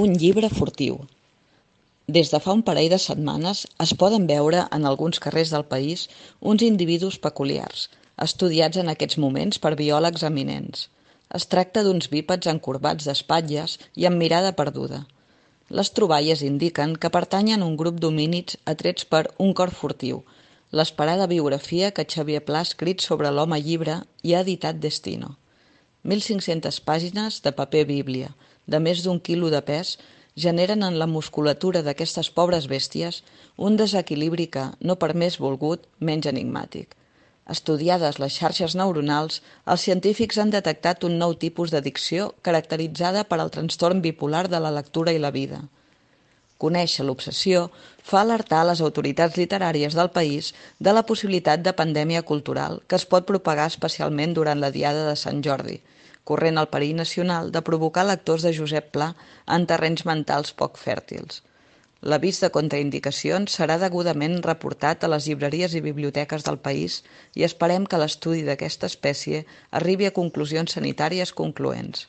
Un llibre furtiu. Des de fa un parell de setmanes es poden veure en alguns carrers del país uns individus peculiars, estudiats en aquests moments per biòlegs eminents. Es tracta d'uns bípeds encorbats d'espatlles i amb mirada perduda. Les troballes indiquen que pertanyen a un grup d'homínids atrets per Un cor furtiu, l'esperada biografia que Xavier Pla ha escrit sobre l'home llibre i ha editat Destino. 1.500 pàgines de paper bíblia, de més d'un quilo de pes, generen en la musculatura d'aquestes pobres bèsties un desequilibri que, no per més volgut, menys enigmàtic. Estudiades les xarxes neuronals, els científics han detectat un nou tipus d'addicció caracteritzada per al trastorn bipolar de la lectura i la vida. Conèixer l'obsessió fa alertar les autoritats literàries del país de la possibilitat de pandèmia cultural que es pot propagar especialment durant la Diada de Sant Jordi, corrent el perill nacional de provocar lectors de Josep Pla en terrenys mentals poc fèrtils. L'avís de contraindicacions serà degudament reportat a les llibreries i biblioteques del país i esperem que l'estudi d'aquesta espècie arribi a conclusions sanitàries concloents.